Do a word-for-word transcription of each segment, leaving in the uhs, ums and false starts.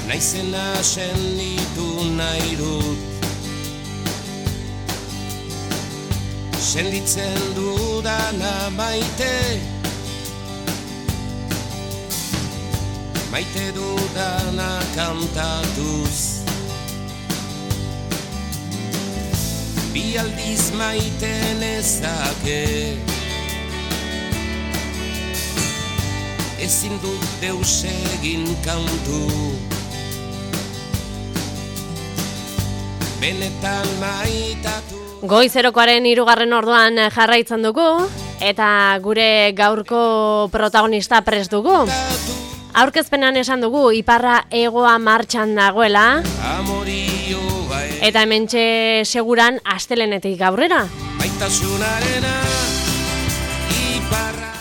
naizena senditu nahi dut. Senditzen dudana maite, maite dudana kantatuz. Bi aldiz maite nezake, ezin dut deus egin kantu. Benetan maitatu. Goizerokoaren hirugarren orduan jarraitzen dugu, eta gure gaurko protagonista prest dugu. Aurkezpenan esan dugu iparra hegoa martxan dagoela, eta hementxe seguran astelenetik aurrera.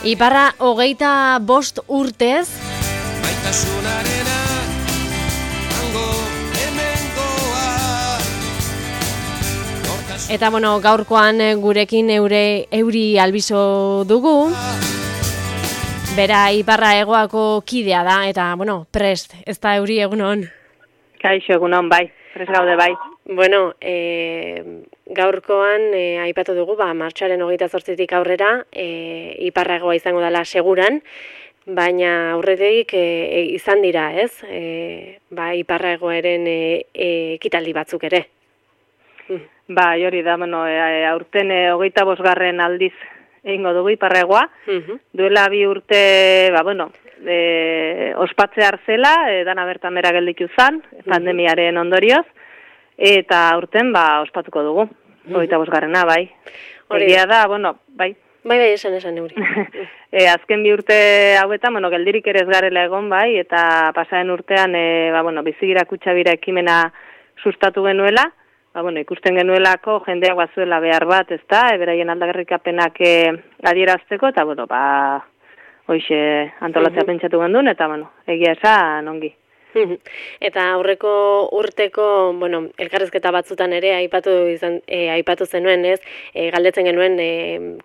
Iparra hogeita bost urtez, eta bueno, gaurkoan gurekin eure, euri albizo dugu. Bera iparra hegoako kidea da, eta bueno, prest, ez da euri egunon. Kaixo egunon, bai, prest gaude bai. Bueno, e, gaurkoan e, aipatu dugu, ba, martxoaren hogeita zortzitik aurrera, e, iparra hegoa izango dela seguran, baina aurretik e, izan dira, ez? E, ba, iparra hegoaren e, e, ekitaldi batzuk ere. Ba, hori da, bueno, e, aurten e, hogeita bosgarren aldiz egingo dugu iparra hegoa. Uh-huh. Duela bi urte, ba, bueno, e, ospatze hartzela, e, dana bertan bera gelditu zan, pandemiaren ondorioz, eta aurten, ba, ospatuko dugu, hogeita bosgarrena, bai. Egia da, bueno, bai. Bai, bai, esan, esan, euri. e, azken bi urte hauetan, bueno, geldirik ere ez garela egon, bai, eta pasaren urtean, e, ba, bueno, bizigira kutxabira ekimena sustatu genuela, ba, bueno, ikusten genuelako jendeak bazuela behar bat, ez da, eberaien aldagarrikapenak e, adierazteko, eta, bueno, ba, hoxe antolatzea uh-huh. pentsatu gendun, eta, bueno, egia esan ongi. Eta aurreko urteko, bueno, elkarrezketa batzutan ere aipatu izan, e, aipatu zenuen, ez? E, galdetzen genuen, e,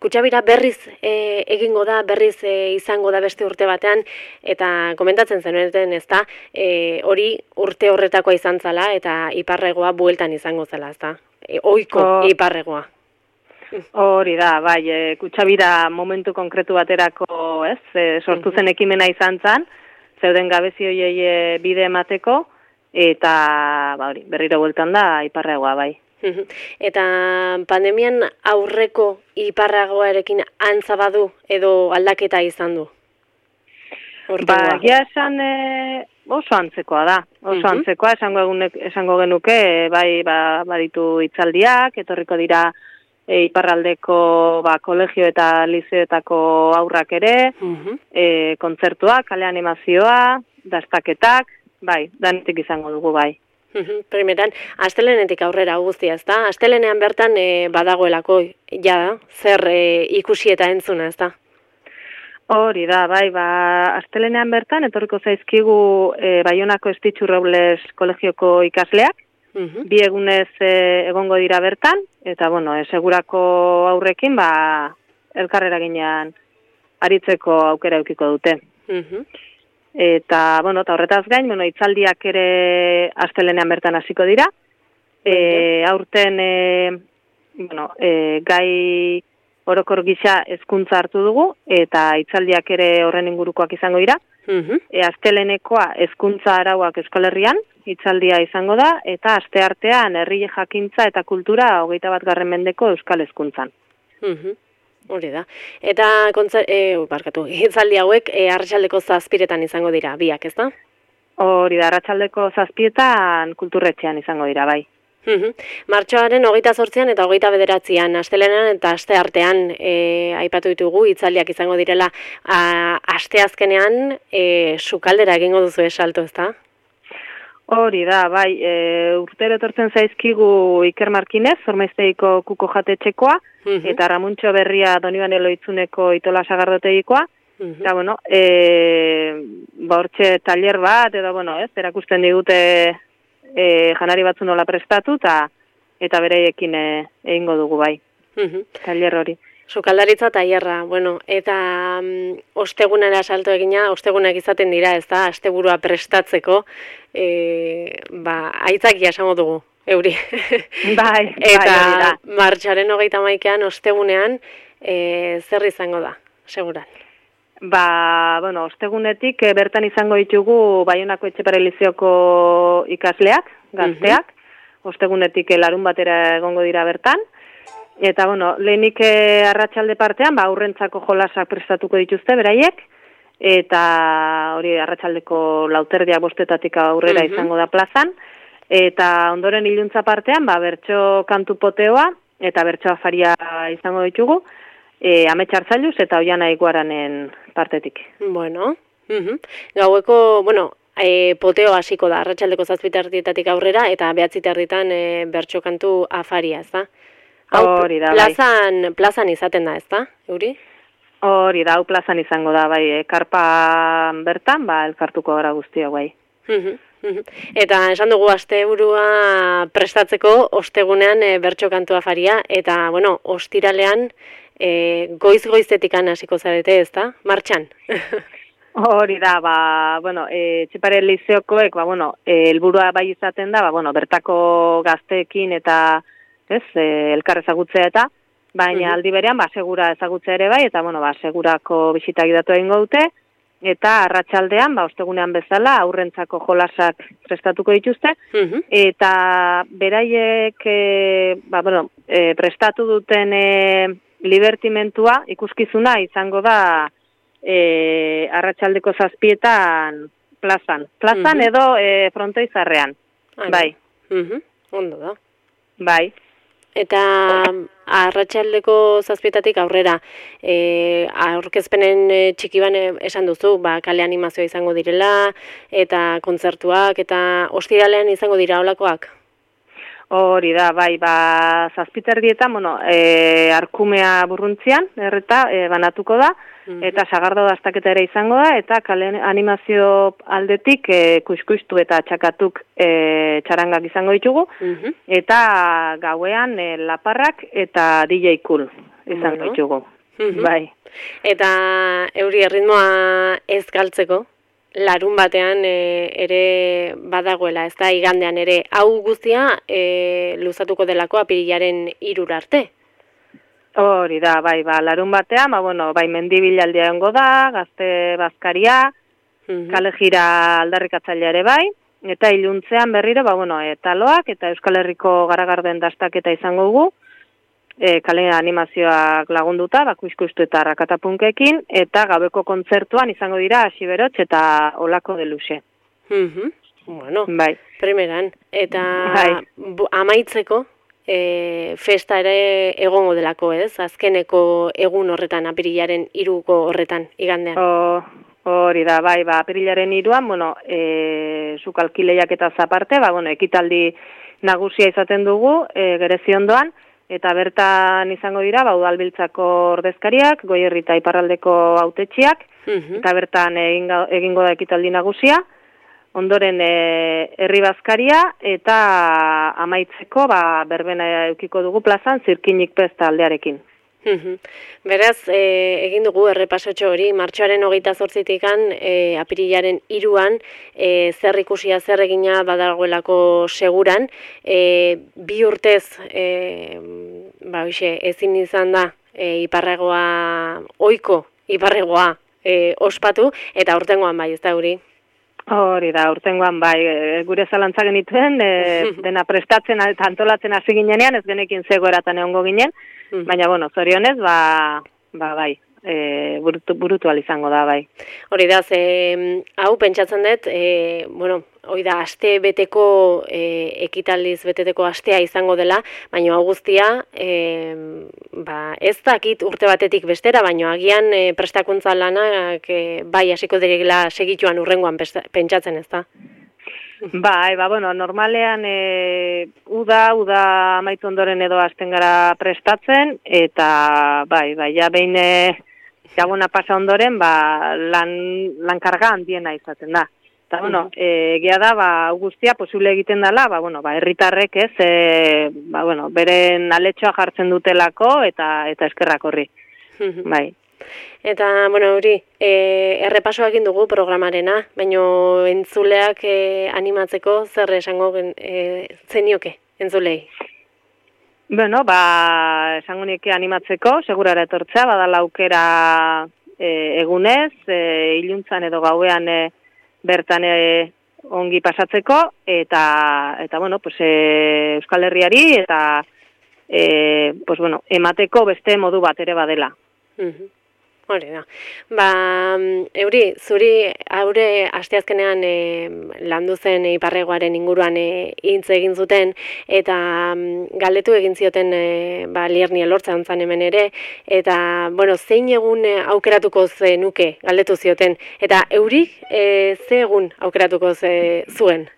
kutxabira berriz e, egingo da, berriz e, izango da beste urte batean, eta komentatzen zenuen, ez da, e, hori urte horretakoa izan zala, eta iparregoa bueltan izango zela, ez da? E, oiko oh. iparregoa. Hori da, bai, e, kutxabira momentu konkretu baterako, ez? E, sortu zen ekimena izan zan, zeuden gabezi hoiei bide emateko, eta ba, hori, berriro bueltan da iparragoa bai. Eta pandemian aurreko iparragoarekin antza badu edo aldaketa izan du? Ba, egia esan e, oso antzekoa da. Oso uh-huh. antzekoa, esango, egunek, esango genuke, bai, ba, baditu hitzaldiak, etorriko dira E, iparraldeko ba, kolegio eta lizeoetako aurrak ere, uh-huh. e, kontzertuak, kale animazioa, dastaketak, bai, danetik izango dugu, bai. Uh-huh. Primeran, astelenetik aurrera guztia, ez da? Astelenean bertan e, badagoelako, ja, zer e, ikusi eta entzuna, ez da? Hori da, bai, ba, astelenean bertan, etorriko zaizkigu e, Baionako Estitxu Robles kolegioko ikasleak, Uh-huh. bi egunez e, egongo dira bertan, eta, bueno, e, segurako aurrekin, ba, elkarrera ginean aritzeko aukera eukiko dute. Uh-huh. Eta, bueno, eta horretaz gain, bueno, itzaldiak ere astelenean bertan hasiko dira. E, aurten, e, bueno, e, gai orokor gisa hezkuntza hartu dugu, eta itzaldiak ere horren ingurukoak izango dira. Uh-huh. E, astelenekoa hezkuntza arauak Euskal Herrian, hitzaldia izango da, eta asteartean herri jakintza eta kultura hogeita bat garren mendeko euskal hezkuntzan. Uh-huh. Hori da. Eta kontza, e, barkatu, hitzaldi hauek e, arratsaldeko zazpiretan izango dira, biak, ez da? Hori da, arratsaldeko zazpietan kulturretxean izango dira, bai. Uh-huh. Martxoaren hogeita zortzian eta hogeita bederatzian, astelenan eta asteartean e, aipatu ditugu hitzaldiak izango direla, a, asteazkenean e, sukaldera egingo duzu esalto, ez da? Hori da, bai, e, urtero etortzen zaizkigu Iker Markinez, Zormaiztegiko kuko jatetxekoa, uh-huh. eta Ramuntxo Berria Donibane Loitzuneko Itola Sagardotegikoa, uh-huh. eta, bueno, e, ba, hortxe taller bat, edo, bueno, ez, erakusten digute e, janari batzu nola prestatu, eta eta bereiekin egingo dugu, bai, uh-huh. taller hori. Sukaldaritza tailerra, bueno, eta um, ostegunera salto egina, ostegunak izaten dira, ez da, asteburua prestatzeko, e, ba, aitzakia esango dugu, euri. Bai, eta bai, martxoaren hogeita hamaikaan, ostegunean, e, zer izango da, seguran? Ba, bueno, ostegunetik e, bertan izango ditugu Baionako Etxepare Lizeoko ikasleak, gazteak, uh-huh. Ostegunetik e, larun batera egongo dira bertan, eta, bueno, lehenik e, arratsalde partean, ba, aurrentzako jolasak prestatuko dituzte beraiek, eta hori arratsaldeko lauterdia bostetatik aurrera uh-huh. izango da plazan, eta ondoren iluntza partean, ba, bertso kantu poteoa, eta bertso afaria izango ditugu, E, ametxartzailuz eta Oiana Iguaranen partetik. Bueno, uh-huh. Gaueko, bueno, e, poteo hasiko da, arratsaldeko zazpiterdietatik aurrera, eta behatziterditan e, bertso kantu afaria, ez da? Hori da, plazan, bai. Plazan izaten da, ez da, Euri? Hori da, hau plazan izango da, bai, e, karpan bertan, ba, elkartuko gara guztia, bai. Uh-huh. Uh-huh. Eta esan dugu asteburua prestatzeko ostegunean e, bertso kantu afaria, eta, bueno, ostiralean, E, goiz-goizetikan hasiko zarete, ez da? Martxan? Hori da, ba, bueno, e, Etxepare Lizeokoek, ba, bueno, e, helburua bai izaten da, ba, bueno, bertako gazteekin eta, ez, e, elkar ezagutzea eta, baina uh-huh. aldi berean, ba, segura ezagutzea ere bai, eta, bueno, ba, segurako bisitak idatu egingo dute, eta arratsaldean, ba, ostegunean bezala, aurrentzako jolasak prestatuko dituzte, uh-huh. eta beraiek, e, ba, bueno, e, prestatu duten, e, libertimentua, ikuskizuna, izango da e, arratsaldeko zazpietan plazan. Plazan uh-huh. edo e, frontoizarrean. Ah, bai. Uh-huh. Ondo da. Bai. Eta arratsaldeko zazpietatik aurrera, e, aurkezpenen e, txikiban esan duzu, ba, kale animazioa izango direla, eta kontzertuak, eta ostiralean izango dira holakoak? Hori da, bai, ba, zazpiterdietan, bueno, e, arkumea burruntzian, erreta, e, banatuko da, uh-huh. eta sagardo dastaketa ere izango da, eta kale animazio aldetik e, kuskustu eta txakatuk e, txarangak izango ditugu, uh-huh. eta gauean e, laparrak eta D J Cool izango bueno. ditugu, uh-huh. bai. Eta Euri erritmoa ez galtzeko? Larun batean e, ere badagoela, ez da, igandean ere, hau guztia e, luzatuko delako apirilaren hirura arte? Hori da, bai, ba, larun batean, ba, bueno, bai, mendibilaldia egongo da, gazte bazkaria, uh-huh. kale jira aldarrikatzailea ere bai, eta iluntzean berriro, ba, bueno, e, taloak eta Euskal Herriko garagarden dastaketa izango dugu, E, kale animazioak lagunduta, bakuizkustu eta rakatapunkekin, eta gabeko kontzertuan izango dira Asiberotx eta Olako de Luxe. Uh-huh. Bueno, bai. Primeran. Eta bai. bu, amaitzeko, e, festa ere egongo delako, ez? Azkeneko egun horretan, apirilaren hiruko horretan, igandean. Hori da, bai, ba, apirilaren hiruan, bueno, e, sukalkileiak eta zaparte, ba, bueno, ekitaldi nagusia izaten dugu, e, Gereziondoan, eta bertan izango dira, ba, udalbiltzako ordezkariak, Goierri eta Iparraldeko hautetxiak, uh-huh. eta bertan egingo, egingo da ekitaldi nagusia, ondoren e, herri bazkaria, eta amaitzeko, ba, berbena eukiko dugu plazan, zirkinik pesta aldearekin. Uh-huh. Beraz, e, egin dugu errepasotxo hori, martxoaren hogeita zortzitikan, e, apirilaren hiruan, e, zer ikusia, zer egina badagoelako seguran, e, bi urtez, e, ba, hoxe, ezin izan da, e, iparregoa, oiko iparregoa e, ospatu, eta urtengoan bai, ez da hori? Hori da, urtengoan bai, e, gure zalantza genituen, e, dena prestatzen eta antolatzen hasi ginenean, ez genekin zegoeratan egongo ginen, baina, bueno, zorionez, ba, ba bai, e, burutu, burutu izango da, bai. Hori da, ze, hau, pentsatzen dut, e, bueno, hori da, aste beteko, e, ekitaldiz beteteko astea izango dela, baina hau guztia, e, ba, ez dakit urte batetik bestera, baina agian e, prestakuntza lanak e, bai hasiko direla segituan urrengoan pentsatzen, ez da? Bai, ba, bueno, normalean e, uda, uda amaitu ondoren edo hasten gara prestatzen, eta bai, bai, ja behin e, jaguna pasa ondoren, ba, lan, lan karga handiena izaten da. Eta, bueno, egia da, ba, guztia posible egiten dela, ba, bueno, ba, herritarrek ez, e, ba, bueno, beren aletxoa jartzen dutelako, eta eta eskerrak horri, bai. Eta, bueno, hori, e, errepasoa egin dugu programarena, baina entzuleak e, animatzeko zer esango e, zenioke, entzulei? Bueno, ba, esango nieke animatzeko, segurara etortzea, badala aukera e, egunez, e, iluntzan edo gauean e, bertan e, ongi pasatzeko, eta, eta bueno, pues, e, Euskal Herriari, eta e, pues, bueno, emateko beste modu bat ere badela. Mm-hmm. Hori da. Ba, Euri, zuri haure asteazkenean e, landu zen iparregoaren inguruan e, hitz egin zuten, eta galdetu egin zioten e, ba, Lierni Elortza ontzan hemen ere, eta, bueno, zein egun e, aukeratuko zenuke galdetu zioten, eta Euri e, ze egun aukeratuko ze, zuen?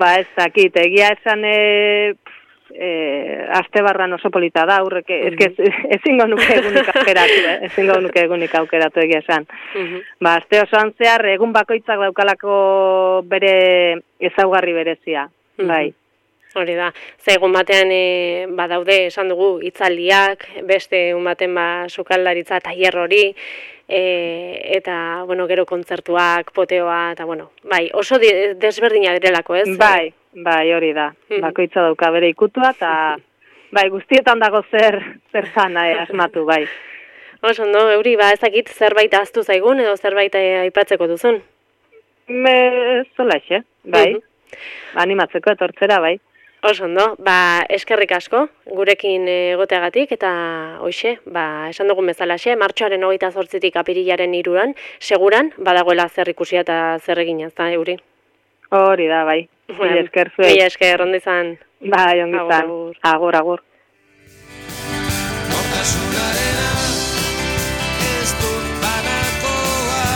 Ba, ez dakit, egia esan... E... Eh, aste barran oso polita da, aurrek, mm -hmm. ezingo nuke egunik aukeratu, eh? ezingo nuke egunik aukeratu egia esan. Mm -hmm. Ba, aste osoan zehar, egun bakoitzak daukalako bere ezaugarri berezia, mm -hmm. bai. Hori da, ze egun batean e, badaude esan dugu hitzaldiak, beste egun baten ba sukaldaritza tailer hori, e, eta, bueno, gero kontzertuak, poteoa, eta, bueno, bai, oso desberdina direlako, ez? Bai. Bai, hori da. Bakoitza dauka bere ikutua, eta bai, guztietan dago zer zer zana eh, asmatu, bai. Oso, no, Euri, ba, ezakit zerbait ahaztu zaigun edo zerbait aipatzeko duzun? Me, zola exe, bai. Uh-huh. Animatzeko etortzera, bai. Oso, no, ba, eskerrik asko, gurekin egoteagatik, eta hoxe, ba, esan dugun bezalaxe, martxoaren hogeita zortzitik apirilaren hiruan, seguran, badagoela zer ikusia eta zer egina, ez da, Euri? Hori da, bai. Mila esker zuek. Mila esker, ondo izan. Bai, ondo izan. Agur, agur. Nortasunarena ez dut banakoa,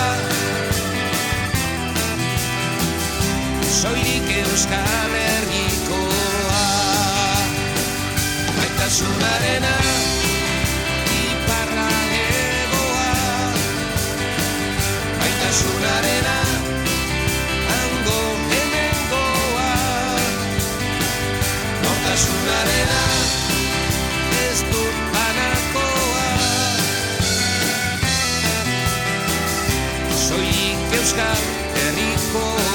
soilik Euskal Herrikoa. Baitasunarena iparra egoa, baitasunarena Nortasunarena ez dut banakoa, soilik Euskal Herrikoa.